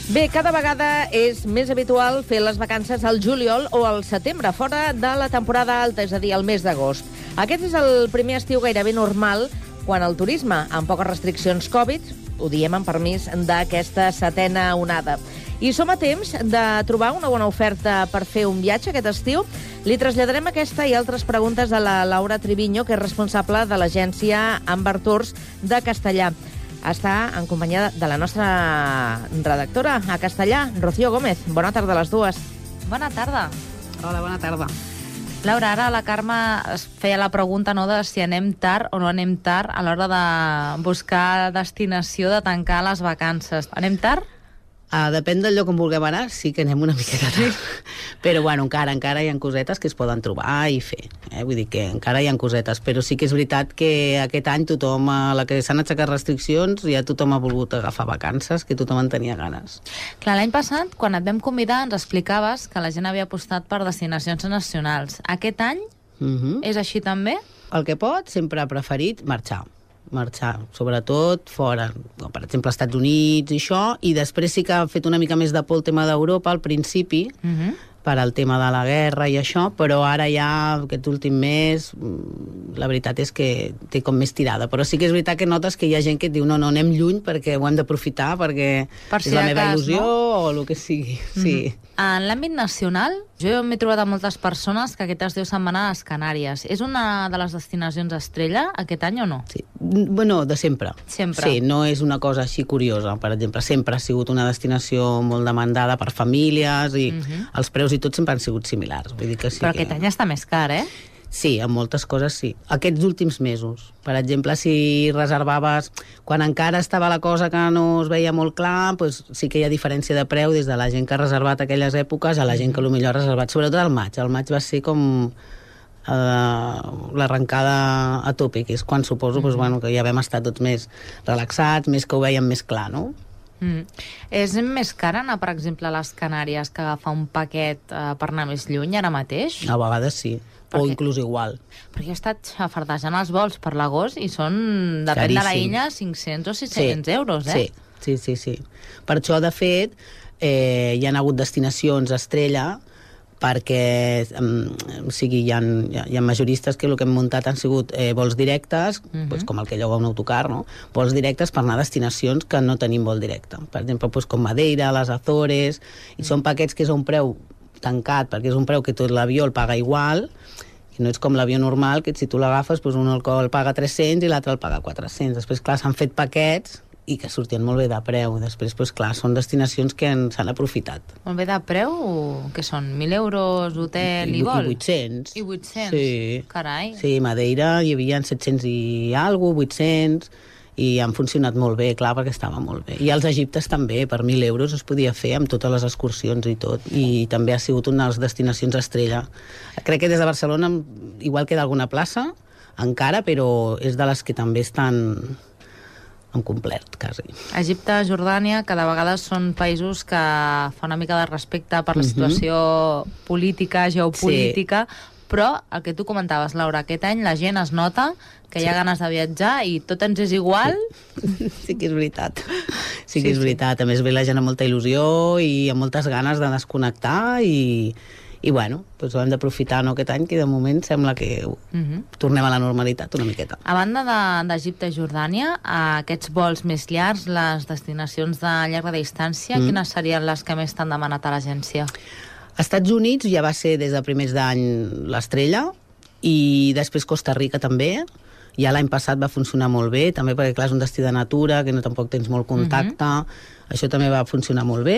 Bé, cada vegada és més habitual fer les vacances al juliol o al setembre, fora de la temporada alta, és a dir, el mes d'agost. Aquest és el primer estiu gairebé normal quan el turisme, amb poques restriccions Covid, ho diem amb permís d'aquesta setena onada. I som a temps de trobar una bona oferta per fer un viatge aquest estiu. Li traslladarem aquesta i altres preguntes a la Laura Triviño, que és responsable de l'agència Amber Tours de Castellà. Està en companyia de la nostra redactora a Castellà, Rocío Gómez. Bona tarda a les dues. Bona tarda. Hola, bona tarda. Laura, ara la Carme es feia la pregunta de si anem tard o no anem tard a l'hora de buscar destinació, de tancar les vacances. Anem tard? Depèn del lloc on vulguem anar, sí que anem una miqueta tard. Però, bueno, encara hi ha cosetes que es poden trobar i fer. Vull dir que encara hi ha cosetes, però sí que és veritat que aquest any tothom, a la que s'han aixecat restriccions, ja tothom ha volgut agafar vacances, que tothom en tenia ganes. Clar, l'any passat, quan et vam convidar, ens explicaves que la gent havia apostat per destinacions nacionals. Aquest any és així també? El que pot, sempre ha preferit marxar, sobretot fora, per exemple, als Estats Units i això, i després sí que ha fet una mica més de por el tema d'Europa al principi, per al tema de la guerra i això, però ara ja, aquest últim mes, la veritat és que té com més tirada. Però sí que és veritat que notes que hi ha gent que et diu no, anem lluny perquè ho hem d'aprofitar, perquè és la meva il·lusió o el que sigui. Sí. En l'àmbit nacional, jo m'he trobat amb moltes persones que aquest estiu se'n van a les Canàries. És una de les destinacions estrella aquest any o no? Sí. Bueno, de sempre. Sempre. Sí, no és una cosa així curiosa. Per exemple, sempre ha sigut una destinació molt demandada per famílies i els preus i tot sempre han sigut similars. Vull dir que sí. Però aquest any està més car, eh? Sí, en moltes coses sí. Aquests últims mesos. Per exemple, si reservaves quan encara estava la cosa que no es veia molt clar, doncs sí que hi ha diferència de preu des de la gent que ha reservat aquelles èpoques a la gent que potser ha reservat, sobretot al maig. El maig va ser com l'arrencada a tope, que és quan suposo que ja vam estar tots més relaxats, més que ho veiem més clar, no? És més car anar, per exemple, a les Canàries que agafar un paquet per anar més lluny ara mateix? A vegades sí. O inclús igual. Perquè he estat xafardejant els vols per l'agost i són, depèn de la illa, 500 o 600 euros, eh? Sí. Per això, de fet, hi ha hagut destinacions estrella perquè hi ha majoristes que el que hem muntat han sigut vols directes, com el que lloga un autocar, no? Vols directes per anar a destinacions que no tenim vol directe. Per exemple, com Madeira, les Azores, i són paquets que és a un preu tancat, perquè és un preu que tot l'avió el paga igual, i no és com l'avió normal, que si tu l'agafes, un el paga 300 i l'altre el paga 400. Després, clar, s'han fet paquets i que sortien molt bé de preu. Després, clar, són destinacions que s'han aprofitat. Molt bé de preu? Què són? 1.000 euros, hotel i vol? I 800. I 800? Sí. Carai. Sí, Madeira hi havia 700 i alguna cosa, 800, i han funcionat molt bé, clar, perquè estava molt bé. I als Egiptes també, per 1.000 euros es podia fer amb totes les excursions i tot, i també ha sigut una de les destinacions estrella. Crec que des de Barcelona igual queda alguna plaça, encara, però és de les que també estan en complet, quasi. Egipte, Jordània, cada vegada són països que fa una mica de respecte per la situació política, geopolítica, però el que tu comentaves, Laura, aquest any la gent es nota que hi ha ganes de viatjar i tot ens és igual. Sí que és veritat. Sí que és veritat. A més, ve la gent amb molta il·lusió i amb moltes ganes de desconnectar i bueno, doncs ho hem d'aprofitar aquest any, que de moment sembla que tornem a la normalitat una miqueta. A banda d'Egipte i Jordània, aquests vols més llargs, les destinacions de llarga distància, quines serien les que més t'han demanat a l'agència? Als Estats Units ja va ser des de primers d'any l'estrella, i després Costa Rica també. Ja l'any passat va funcionar molt bé, també perquè, clar, és un destí de natura, que no tampoc tens molt contacte. Això també va funcionar molt bé.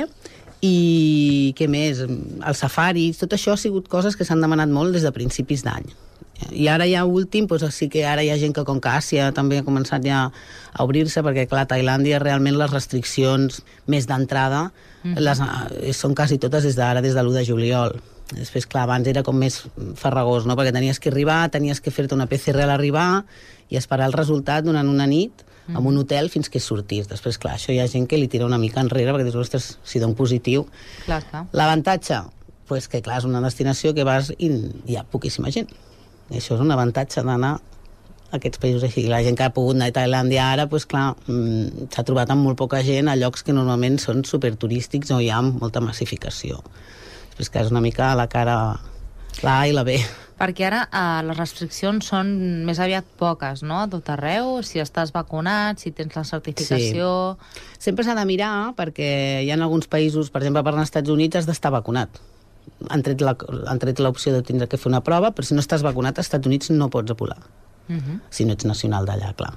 I què més? Els safaris, tot això ha sigut coses que s'han demanat molt des de principis d'any. I ara ja últim, doncs sí que ara hi ha gent que, com que Àsia també ha començat ja a obrir-se, perquè clar, Tailàndia realment les restriccions més d'entrada són quasi totes des d'ara, des de l'1 de juliol. Després, clar, abans era com més farragós, no? Perquè tenies que arribar, tenies que fer-te una PCR a l'arribar i esperar el resultat durant una nit en un hotel fins que sortís. Després, clar, això hi ha gent que li tira una mica enrere perquè dius, ostres, si dono positiu. Clar. L'avantatge, doncs que clar, és una destinació que vas i hi ha poquíssima gent. I això és un avantatge d'anar aquests països així. La gent que ha pogut anar a Tailàndia ara, doncs clar, s'ha trobat amb molt poca gent a llocs que normalment són superturístics o hi ha molta massificació. Després que és una mica la cara, la A i la B. Perquè ara les restriccions són més aviat poques, no? A tot arreu, si estàs vacunat, si tens la certificació... Sí. Sempre s'ha de mirar, perquè hi ha alguns països, per exemple, per als Estats Units has d'estar vacunat. Han tret l'opció de tindre que fer una prova, però si no estàs vacunat, als Estats Units no pots volar. Si no ets nacional d'allà, clar.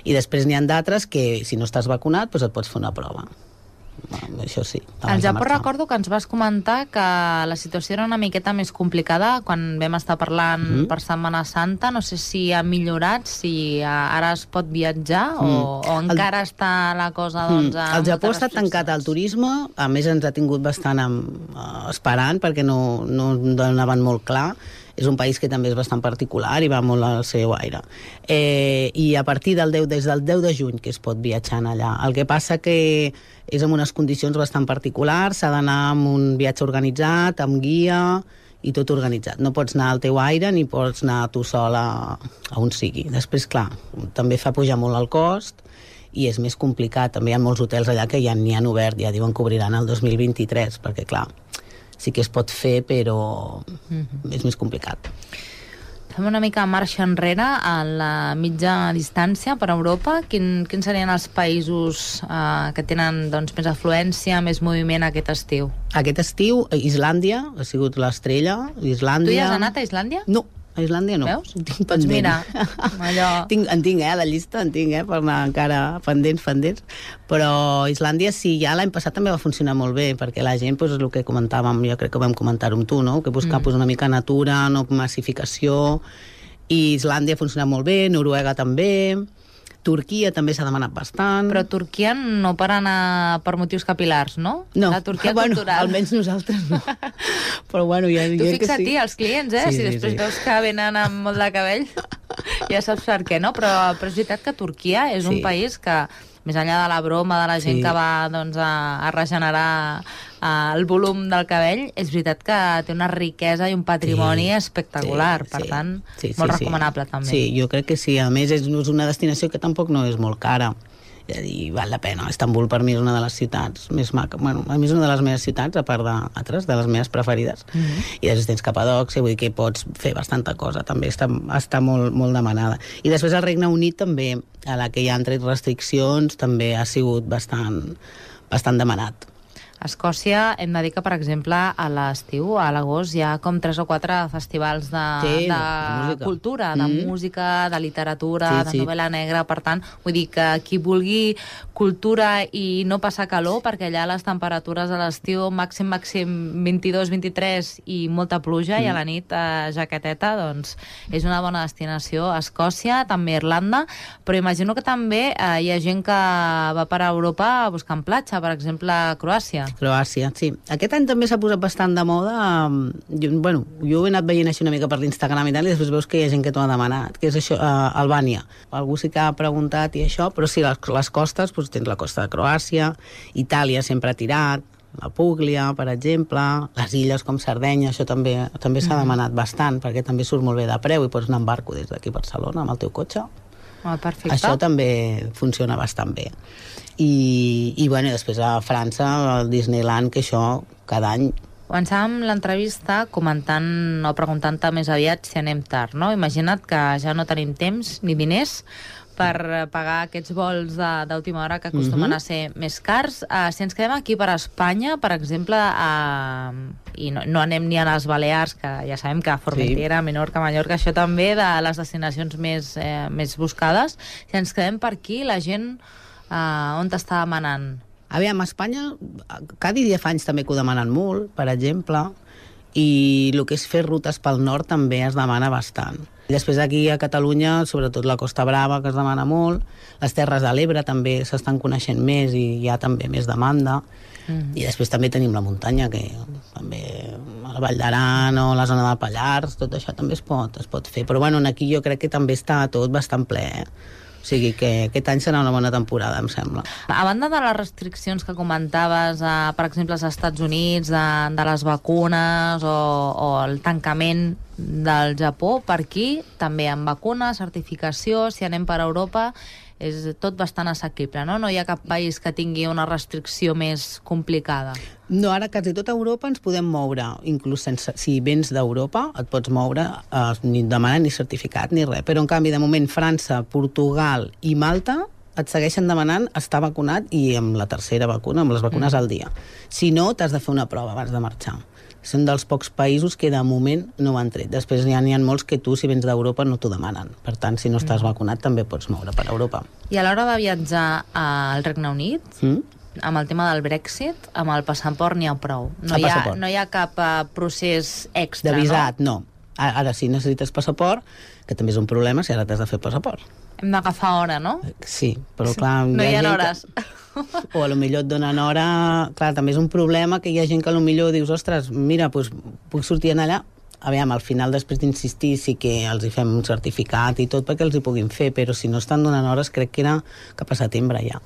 I després n'hi ha d'altres que, si no estàs vacunat, doncs et pots fer una prova. Això sí. Al Japó recordo que ens vas comentar que la situació era una miqueta més complicada quan vam estar parlant per Setmana Santa. No sé si ha millorat, si ara es pot viatjar o encara està la cosa... Doncs, el Japó està tancat al turisme, a més ens ha tingut bastant esperant perquè no donaven molt clar. És un país que també és bastant particular i va molt al seu aire. I a partir des del 10 de juny que es pot viatjar allà. El que passa que és en unes condicions bastant particulars, s'ha d'anar amb un viatge organitzat, amb guia i tot organitzat. No pots anar al teu aire ni pots anar tu sol a on sigui. Després, clar, també fa pujar molt el cost i és més complicat. També hi ha molts hotels allà que ja n'hi han obert, ja diuen que obriran el 2023, perquè, clar, sí que es pot fer, però és més complicat. Fem una mica marxa enrere a la mitja distància per Europa. Quins serien els països que tenen doncs, més afluència, més moviment aquest estiu? Aquest estiu, Islàndia ha sigut l'estrella. Tu hi has anat a Islàndia? No, a Islàndia no. Veus? Tinc doncs mira, allò... En tinc, la llista en tinc, per anar encara pendents. Però Islàndia sí, ja l'any passat també va funcionar molt bé, perquè la gent, doncs, el que comentàvem, jo crec que vam comentar-ho amb tu, no? Que buscar una mica natura, no massificació, i Islàndia ha funcionat molt bé, Noruega també, Turquia també s'ha demanat bastant. Però Turquia no per anar per motius capilars, no? No, la Turquia cultural. Almenys nosaltres no. Però bueno, ja tu fixa't-hi, sí. Els clients, si després veus que venen amb molt de cabell, ja saps per què, no? Però és veritat que Turquia és un país que, més enllà de la broma de la gent que va doncs, a regenerar el volum del cabell, és veritat que té una riquesa i un patrimoni espectacular, per tant, molt recomanable també. Sí, jo crec que sí. A més, és una destinació que tampoc no és molt cara. És a dir, val la pena. Istanbul per mi és una de les ciutats més maca. Bueno, a mi és una de les meves ciutats, a part d'altres, de les meves preferides. I després tens Capadòcia, vull dir que pots fer bastanta cosa. També està molt, molt demanada. I després el Regne Unit també, a la que hi ha tret restriccions, també ha sigut bastant demanat. A Escòcia hem de dir que, per exemple, a l'estiu, a l'agost, hi ha com 3 o 4 festivals de cultura, de música, de literatura, de novel·la negra. Per tant, vull dir que qui vulgui cultura i no passar calor, perquè allà les temperatures a l'estiu màxim 22, 23 i molta pluja, i a la nit jaqueteta, doncs és una bona destinació. A Escòcia, també a Irlanda, però imagino que també hi ha gent que va per a Europa buscant platja, per exemple, a Croàcia. Croàcia, sí. Aquest any també s'ha posat bastant de moda. Jo he anat veient així una mica per l'Instagram i tal, i després veus que hi ha gent que t'ho ha demanat, que és això, Albània. Algú sí que ha preguntat i això, però sí, les costes, doncs tens la costa de Croàcia, Itàlia sempre ha tirat, la Púglia, per exemple, les illes com Sardenya, això també s'ha demanat bastant, perquè també surt molt bé de preu i pots anar en barco des d'aquí a Barcelona amb el teu cotxe. Perfecte. Això també funciona bastant bé. I bueno, després a França, al Disneyland, que això cada any... Començàvem l'entrevista comentant o preguntant-te més aviat si anem tard, no? Imagina't que ja no tenim temps ni diners per pagar aquests vols d'última hora que acostumen a ser més cars. Si ens quedem aquí per Espanya, per exemple, i no anem ni a les Balears, que ja sabem que Formentera, Menorca, Mallorca, això també de les destinacions més buscades, si ens quedem per aquí, la gent on t'està demanant? Aviam, a Espanya, cada dia fa anys també que ho demanen molt, per exemple, i el que és fer rutes pel nord també es demana bastant. I després aquí a Catalunya, sobretot la Costa Brava, que es demana molt, les Terres de l'Ebre també s'estan coneixent més i hi ha també més demanda. I després també tenim la muntanya, que també la Vall d'Aran o la zona del Pallars, tot això també es pot fer. Però bueno, aquí jo crec que també està tot bastant ple. O O sigui que aquest any serà una bona temporada, em sembla. A banda de les restriccions que comentaves, per exemple, als Estats Units, de les vacunes o el tancament del Japó, per aquí també amb vacunes, certificació, si anem per Europa, és tot bastant assequible, no? No hi ha cap país que tingui una restricció més complicada. No, ara quasi tota Europa ens podem moure, inclús si vens d'Europa et pots moure, ni demanar ni certificat ni res, però en canvi de moment França, Portugal i Malta et segueixen demanant estar vacunat i amb la tercera vacuna, amb les vacunes al dia. Si no, t'has de fer una prova abans de marxar. Són dels pocs països que de moment no ho han tret. Després n'hi ha molts que tu, si vens d'Europa, no t'ho demanen. Per tant, si no estàs vacunat, també pots moure per Europa. I a l'hora de viatjar al Regne Unit, amb el tema del Brexit, amb el passaport n'hi ha prou. No hi ha cap procés extra, de visat, no? Ara sí necessites passaport, que també és un problema si ara t'has de fer passaport. Hem d'agafar hora, no? Sí, però clar... No hi ha hores. O potser et donen hora... Clar, també és un problema que hi ha gent que potser dius, ostres, mira, doncs puc sortir allà. Aviam, al final, després d'insistir, sí que els hi fem un certificat i tot perquè els hi puguin fer, però si no estan donant hores, crec que era cap a setembre ja.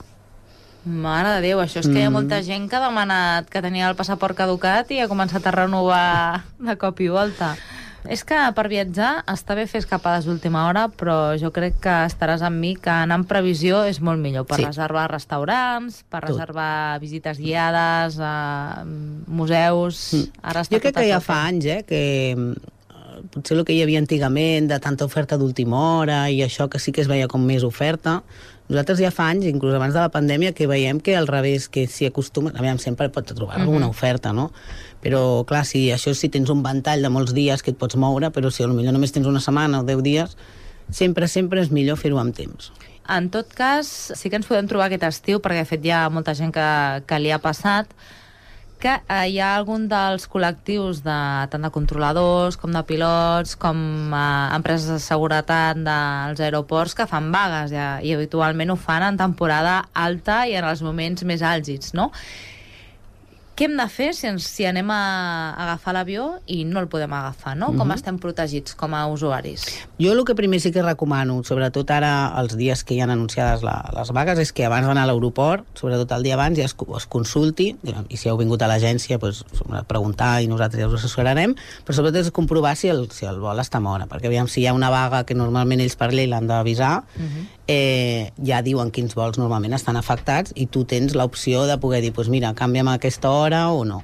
Mare de Déu, això és que hi ha molta gent que ha demanat que tenia el passaport caducat i ha començat a renovar de cop i volta. És que per viatjar està bé fer escapades d'última hora, però jo crec que estaràs amb mi que anar en previsió és molt millor per reservar restaurants, per reservar visites guiades, museus... Ara està jo crec que ja fa anys, que potser el que hi havia antigament de tanta oferta d'última hora i això que sí que es veia com més oferta, nosaltres ja fa anys, inclús abans de la pandèmia, que veiem que al revés, que s'hi acostumen... Aviam, sempre pots trobar alguna oferta, no? Però, clar, si tens un ventall de molts dies que et pots moure, però si potser només tens una setmana o 10 dies, sempre és millor fer-ho amb temps. En tot cas, sí que ens podem trobar aquest estiu, perquè de fet hi ha molta gent que li ha passat, que hi ha algun dels col·lectius tant de controladors com de pilots com empreses de seguretat dels aeroports que fan vagues i habitualment ho fan en temporada alta i en els moments més àlgids, no? Què hem de fer si anem a agafar l'avió i no el podem agafar, no? Com estem protegits com a usuaris? Jo el que primer sí que recomano, sobretot ara els dies que hi han anunciades les vagues, és que abans d'anar a l'aeroport, sobretot el dia abans, ja es consulti, i si heu vingut a l'agència, preguntar i nosaltres ja us assessorarem, però sobretot és comprovar si el vol està a hora, perquè aviam, si hi ha una vaga que normalment ells per llei l'han d'avisar, ja diuen quins vols normalment estan afectats i tu tens l'opció de poder dir, mira, canvia'm a aquesta hora o no.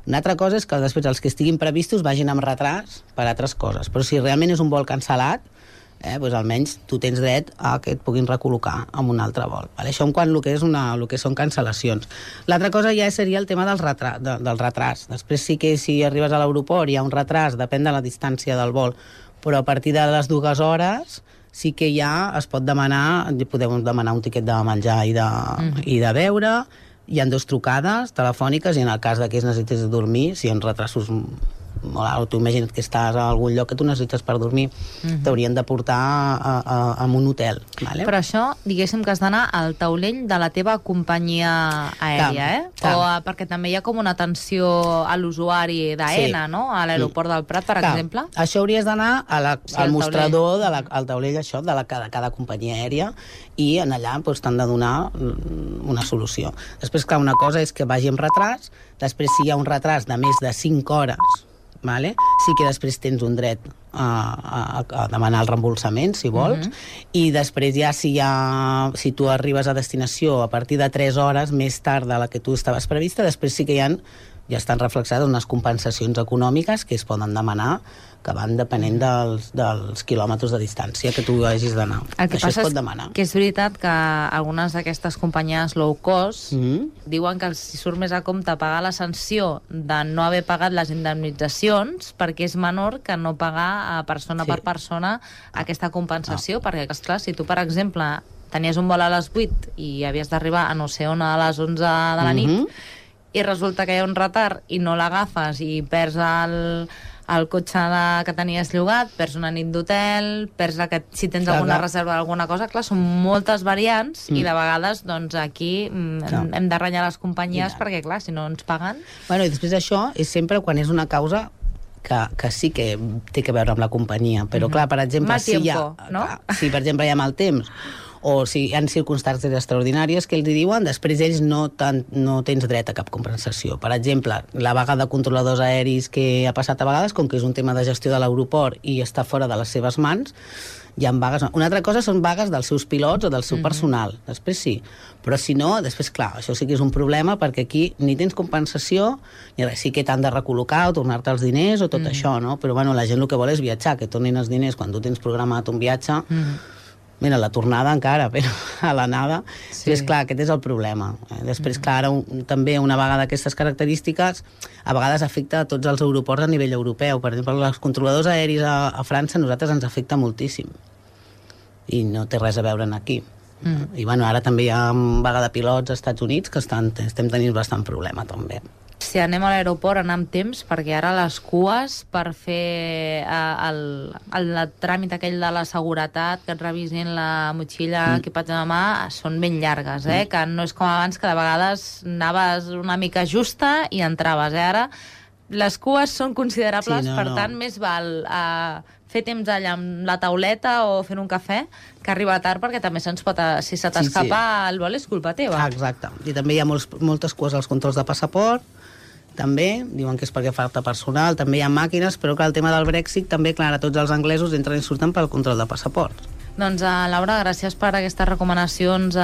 Una altra cosa és que després els que estiguin previstos vagin amb retras per altres coses, però si realment és un vol cancel·lat, almenys tu tens dret a que et puguin recol·locar en un altre vol. Això en quant el que són cancel·lacions. L'altra cosa ja seria el tema del retras. Després sí que si arribes a l'aeroport hi ha un retras, depèn de la distància del vol, però a partir de les 2 hores sí que ja es pot demanar, podeu demanar un tiquet de menjar i de beure. Hi ha 2 trucades telefòniques i en el cas que necessites dormir, si hi ha retrasos molt alt, tu imagina't que estàs a algun lloc que tu necessites per dormir, t'haurien de portar a un hotel. Vale? Però això, diguéssim que has d'anar al taulell de la teva companyia aèria, perquè també hi ha com una atenció a l'usuari d'AENA, no? A l'aeroport del Prat, per exemple. Això hauries d'anar al mostrador, al taulell de cada companyia aèria, i en allà t'han de donar una solució. Després, clar, una cosa és que vagi amb retras, després si hi ha un retras de més de 5 hores, sí que després tens un dret a demanar el reembolsament, si vols, i després ja si tu arribes a destinació a partir de 3 hores més tard de la que tu estaves prevista, després sí que ja estan reflexades unes compensacions econòmiques que es poden demanar, que van depenent dels quilòmetres de distància que tu hagis d'anar. Això es pot demanar. Que és veritat que algunes d'aquestes companyies low cost diuen que els surt més a compte pagar la sanció de no haver pagat les indemnitzacions perquè és menor que no pagar persona per persona aquesta compensació, perquè, esclar, si tu, per exemple, tenies un vol a les 8 i havies d'arribar a no sé on a les 11 de la nit i resulta que hi ha un retard i no l'agafes i perds el cotxe que tenies llogat, perds una nit d'hotel, perds si tens alguna reserva d'alguna cosa, clar, són moltes variants i de vegades doncs aquí hem de renyar les companyies perquè, clar, si no ens paguen... Bueno, i després això és sempre quan és una causa que sí que té a veure amb la companyia, però clar, per exemple, si per exemple hi ha mal temps o si hi ha circumstàncies extraordinàries que ells hi diuen, després ells no tens dret a cap compensació. Per exemple, la vaga de controladors aeris que ha passat a vegades, com que és un tema de gestió de l'aeroport i està fora de les seves mans, hi ha vagues. Una altra cosa són vagues dels seus pilots o del seu personal, després sí, però si no, després clar, això sí que és un problema perquè aquí ni tens compensació ni res, sí que t'han de recol·locar o tornar-te els diners o tot això, no? Però bueno, la gent el que vol és viatjar, que tornin els diners quan tu tens programat un viatge. Mira, la tornada encara, però a l'anada. Sí. És clar, aquest és el problema. Després, clar, també una vaga d'aquestes característiques a vegades afecta a tots els aeroports a nivell europeu. Per exemple, els controladors aeris a França a nosaltres ens afecta moltíssim. I no té res a veure aquí. I bueno, ara també hi ha vaga de pilots als Estats Units que estem tenint bastant problema també. Si anem a l'aeroport, anar amb temps, perquè ara les cues per fer el tràmit aquell de la seguretat, que et revisin la motxilla, equipatge de mà, són ben llargues, que no és com abans, que de vegades anaves una mica justa i entraves. Ara les cues són considerables, per tant, més val fer temps allà amb la tauleta o fent un cafè que arribar tard, perquè també se'ns pot... Si se t'escapa el vol, és culpa teva. Exacte. I també hi ha moltes cues als controls de passaport, també, diuen que és perquè falta personal, també hi ha màquines, però que el tema del Brexit també, clar, tots els anglesos entren i surten pel control de passaport. Doncs, Laura, gràcies per aquestes recomanacions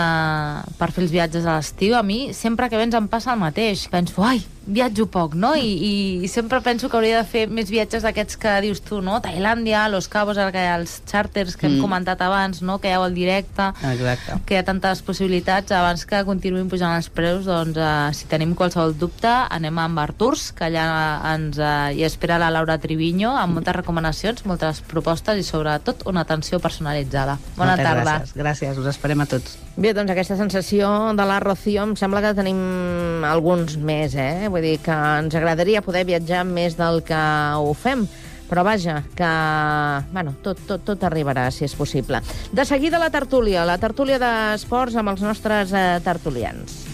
per fer els viatges a l'estiu. A mi, sempre que vens em passa el mateix. Penso, viatjo poc, no? I sempre penso que hauria de fer més viatges d'aquests que dius tu, no? Tailàndia, Los Cabos, els xàrters que hem comentat abans, no? Que hi ha el directe, que hi ha tantes possibilitats. Abans que continuïn pujant els preus, doncs, si tenim qualsevol dubte, anem amb Arturs, que allà hi espera la Laura Triviño, amb moltes recomanacions, moltes propostes i, sobretot, una atenció personalitzada. Bona tarda. Gràcies, us esperem a tots. Bé, doncs aquesta sensació de la Rocío em sembla que tenim alguns més, Vull dir que ens agradaria poder viatjar més del que ho fem, però vaja, que bueno, tot arribarà, si és possible. De seguida la tertúlia d'esports amb els nostres tertulians.